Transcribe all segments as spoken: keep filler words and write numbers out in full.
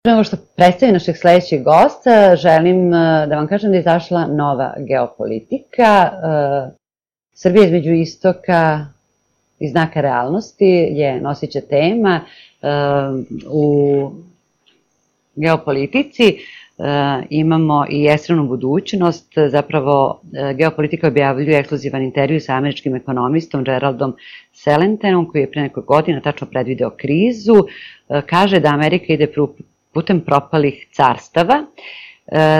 Pre nego što predstavim našeg sledećeg gosta, želim da vam kažem da je izašla nova geopolitika. Srbija između istoka i znaka realnosti je nosića tema u geopolitici. Imamo i ekstremnu budućnost, zapravo geopolitika objavljuje ekskluzivan intervju sa američkim ekonomistom Geraldom Celentenom, koji je pre nekog godina tačno predvideo krizu. Kaže da Amerika ide putem propalih carstava.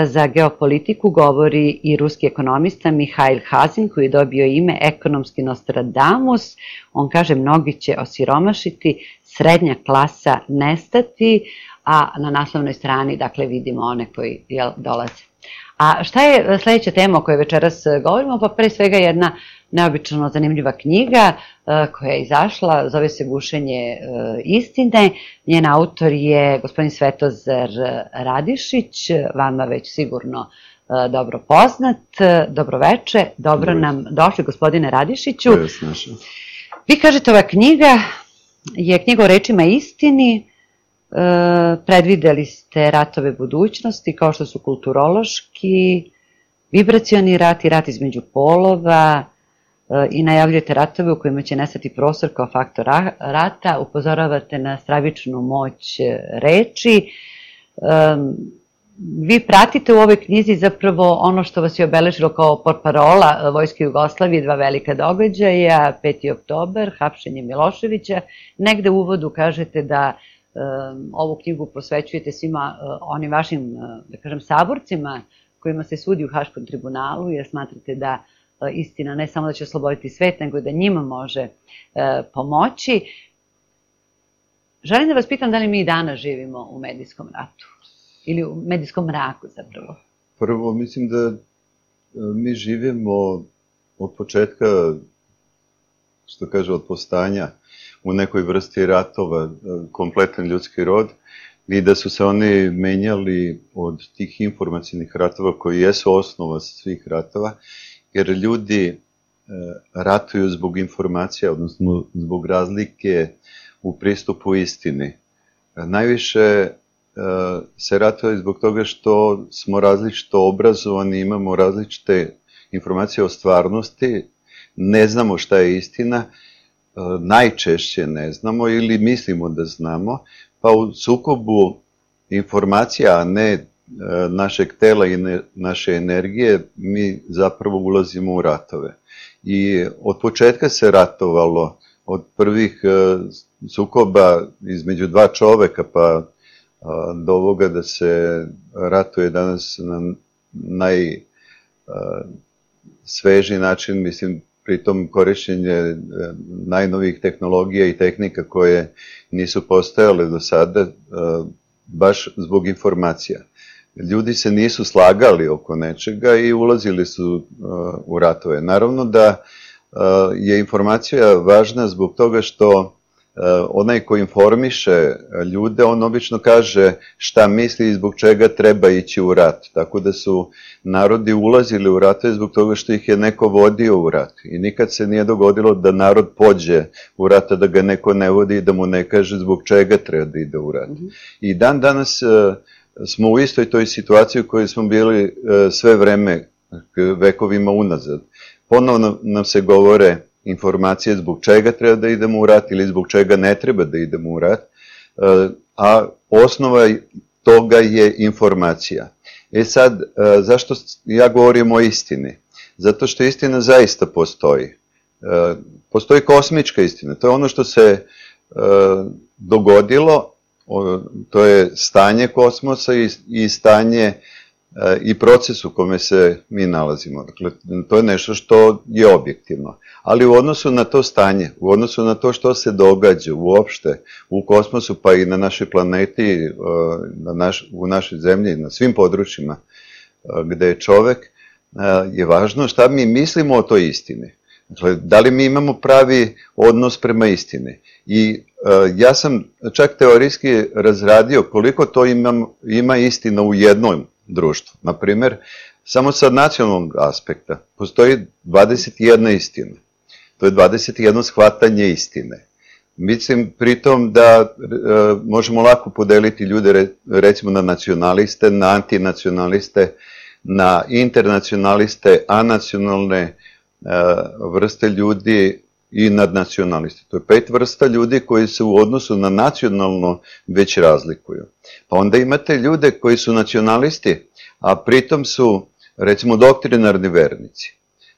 Za geopolitiku govori i ruski ekonomista Mihail Hazin, koji je dobio ime ekonomski Nostradamus. On kaže mnogi će osiromašiti, srednja klasa nestati, a na naslovnoj strani, dakle, vidimo one koji dolaze. A šta je sledeća tema o kojoj večeras govorimo? Pa pre svega jedna neobično zanimljiva knjiga koja je izašla, zove se Gušenje istine. Njen autor je gospodin Svetozar Radišić, vama već sigurno dobro poznat. Dobroveče, dobro nam došli, gospodine Radišiću. Vi kažete, ova knjiga je knjiga o rečima istini. Predvideli ste ratove budućnosti, kao što su kulturološki, vibracioni rat i rat između polova, i najavljujete ratove u kojima će nestati prostor kao faktor rata, upozoravate na stravičnu moć reči. Vi pratite u ovoj knjizi zapravo ono što vas je obeležilo kao portparola Vojske Jugoslavije, dva velika događaja, peti oktobar, hapšenje Miloševića. Negde u uvodu kažete da ovu knjigu posvećujete svima onim vašim, da kažem, saborcima kojima se sudi u Haškom tribunalu, jer smatrate da istina ne samo da će osloboditi svet, nego da njima može pomoći. Želim da vas pitam da li mi i danas živimo u medijskom ratu ili u medijskom mraku zapravo. Prvo, mislim da mi živimo od početka, što kaže, od povstanja u nekoj vrsti ratova, kompletan ljudski rod, i da su se oni menjali od tih informacijnih ratova koji jesu osnova svih ratova, jer ljudi ratuju zbog informacija, odnosno zbog razlike u pristupu istini. Najviše se ratuje zbog toga što smo različito obrazovani, imamo različite informacije o stvarnosti, ne znamo šta je istina, najčešće ne znamo ili mislimo da znamo, pa u sukobu informacija, a ne našeg tela i naše energije, mi zapravo ulazimo u ratove. I od početka se ratovalo, od prvih sukoba između dva čoveka, pa do ovoga da se ratuje danas na najsvežiji način, mislim, pritom korišćenje najnovijih tehnologija i tehnika koje nisu postojale do sada, baš zbog informacija. Ljudi se nisu slagali oko nečega i ulazili su u ratove. Naravno da je informacija važna zbog toga što onaj ko informiše ljude, on obično kaže šta misli i zbog čega treba ići u rat. Tako da su narodi ulazili u ratove zbog toga što ih je neko vodio u rat. I nikad se nije dogodilo da narod pođe u rat, a da ga neko ne vodi i da mu ne kaže zbog čega treba da ide u rat. I dan danas smo u istoj toj situaciji u kojoj smo bili sve vreme, vekovima unazad. Ponovno nam se govore informacije zbog čega treba da idemo u rat ili zbog čega ne treba da idemo u rat, a osnova toga je informacija. E sad, zašto ja govorim o istini? Zato što istina zaista postoji. Postoji kosmička istina, to je ono što se dogodilo, to je stanje kosmosa i stanje i proces u kome se mi nalazimo. Dakle, to je nešto što je objektivno. Ali u odnosu na to stanje, u odnosu na to što se događa uopšte u kosmosu, pa i na našoj planeti, u našoj zemlji, na svim područjima gde je čovek, je važno šta mi mislimo o toj istini. Dakle, da li mi imamo pravi odnos prema istini. I ja sam čak teorijski razradio koliko to ima istina u jednom društvu. Naprimer, samo sa nacionalnog aspekta postoji dvadeset jedna istina. To je dvadeset jedno shvatanje istine. Mislim pritom da e, možemo lako podeliti ljude re, recimo na nacionaliste, na antinacionaliste, na internacionaliste, anacionalne e, vrste ljudi i nadnacionaliste. To je pet vrsta ljudi koji se u odnosu na nacionalno već razlikuju. Pa onda imate ljude koji su nacionalisti, a pritom su recimo doktrinarni vernici.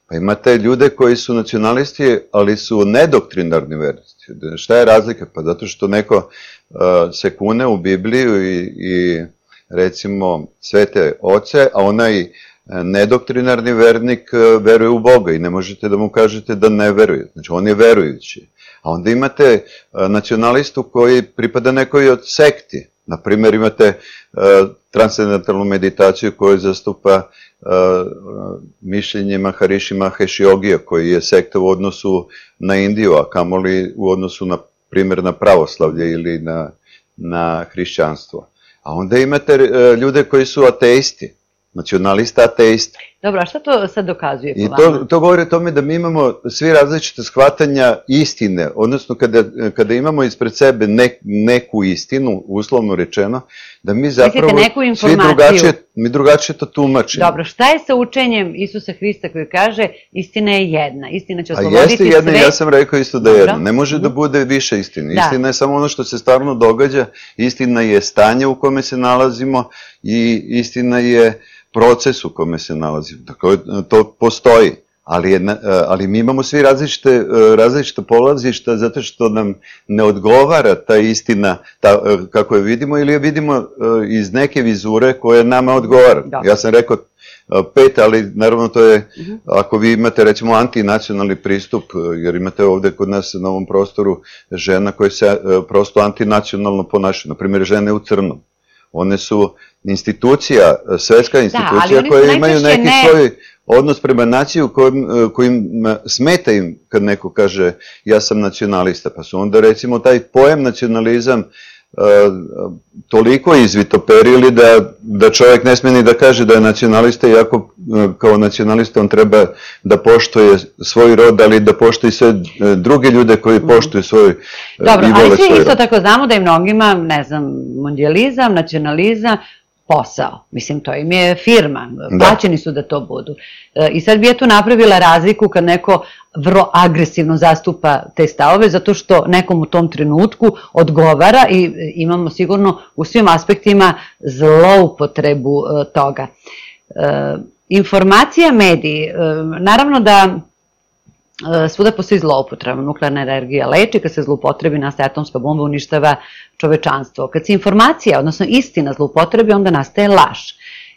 Pa imate ljude koji su nacionalisti, ali su nedoktrinarni vernici. Šta je razlika? Pa zato što neko uh, se kune u Bibliju i, i recimo svete oce, a onaj nedoktrinarni vernik uh, veruje u Boga i ne možete da mu kažete da ne veruje. Znači on je verujući. A onda imate uh, nacionalistu koji pripada nekoj od sekti. Naprimjer, imate uh, transcendentalnu meditaciju koju zastupa uh, mišljenje Maharishi Mahesh Yogija, koji je sekta u odnosu na Indiju, a kamoli u odnosu, na primjer, na pravoslavlje ili na, na hrišćanstvo. A onda imate uh, ljude koji su ateisti, nacionalista ateisti. Dobro, a šta to sad dokazuje po I vama? to, to govori o tome da mi imamo svi različite shvatanja istine, odnosno kada, kada imamo ispred sebe ne, neku istinu, uslovno rečeno, da mi zapravo svi drugačije, mi drugačije to tumačimo. Dobro, šta je sa učenjem Isusa Hrista koji kaže istina je jedna, istina će osloboditi sve? A jeste jedna, ja sam rekao isto da je jedna, ne može da bude više istine. Istina je samo ono što se stvarno događa, istina je stanje u kome se nalazimo i istina je proces u kome se nalazimo. Dakle, to postoji, ali, je, ali mi imamo svi različite, različite polazišta zato što nam ne odgovara ta istina ta, kako je vidimo ili je vidimo iz neke vizure koje nama odgovara. Da. Ja sam rekao pet, ali naravno to je, uh-huh. ako vi imate recimo antinacionalni pristup, jer imate ovde kod nas na ovom prostoru žena koje se prosto antinacionalno ponašaju, na primjer žene u crnom. One su institucija, svetska institucija da, koje imaju neki ne... svoj odnos prema naciju kojim, kojim smeta im kad neko kaže ja sam nacionalista. Pa su onda recimo taj pojam nacionalizam uh, toliko izvitoperili da, da čovjek ne sme ni da kaže da je nacionalista, iako uh, kao nacionalista on treba da poštuje svoj rod, ali da poštuje sve druge ljude koji poštuju svoj uh, Dobro, i vole svoj rod. Dobro, ali svi isto tako znamo da je mnogima, ne znam, mondijalizam, nacionalizam, posao. Mislim, to im je firma. Plaćeni su da to budu. I sad bi ja tu napravila razliku kad neko vrlo agresivno zastupa te stavove, zato što nekom u tom trenutku odgovara i imamo sigurno u svim aspektima zloupotrebu toga. Informacija, mediji, naravno da svuda postoji zloupotreba. Nuklearna energija leči, kad se zloupotrebi nastaje atomska bomba, uništava čovečanstvo. Kad se informacija, odnosno istina zloupotrebi, onda nastaje laž.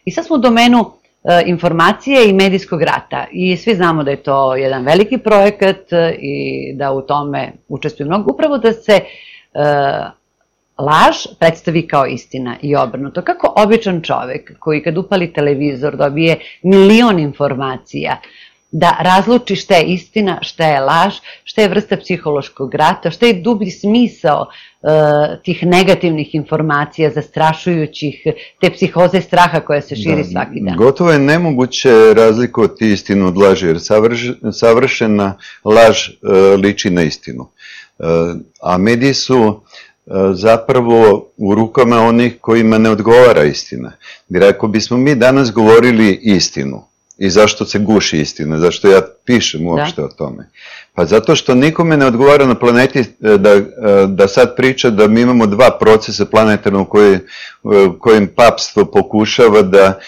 I sad smo u domenu e, informacije i medijskog rata. I svi znamo da je to jedan veliki projekat i da u tome učestvuju mnogo. Upravo da se e, laž predstavi kao istina i obrnuto. Kako običan čovek koji kad upali televizor dobije milion informacija, da razluči šta je istina, šta je laž, šta je vrsta psihološkog rata, šta je dublji smisao uh, tih negativnih informacija, zastrašujućih, te psihoze straha koja se širi da, svaki dan. Gotovo je nemoguće razlikovati istinu od laži, jer savrš, savršena laž uh, liči na istinu. Uh, a mediji su uh, zapravo u rukama onih kojima ne odgovara istina. Jer ako bismo mi danas govorili istinu, i zašto se guši istina, zašto ja pišem uopšte da. o tome? Pa zato što nikome ne odgovara na planeti da, da sad priča da mi imamo dva procesa planetarnog koji, kojim papstvo pokušava da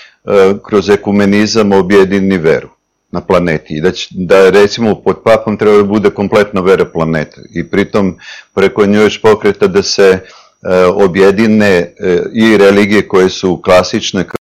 kroz ekumenizam objedini veru na planeti. I da, će, da recimo pod papom treba da bude kompletna vera planeta. I pritom preko nje još pokreta da se objedine i religije koje su klasične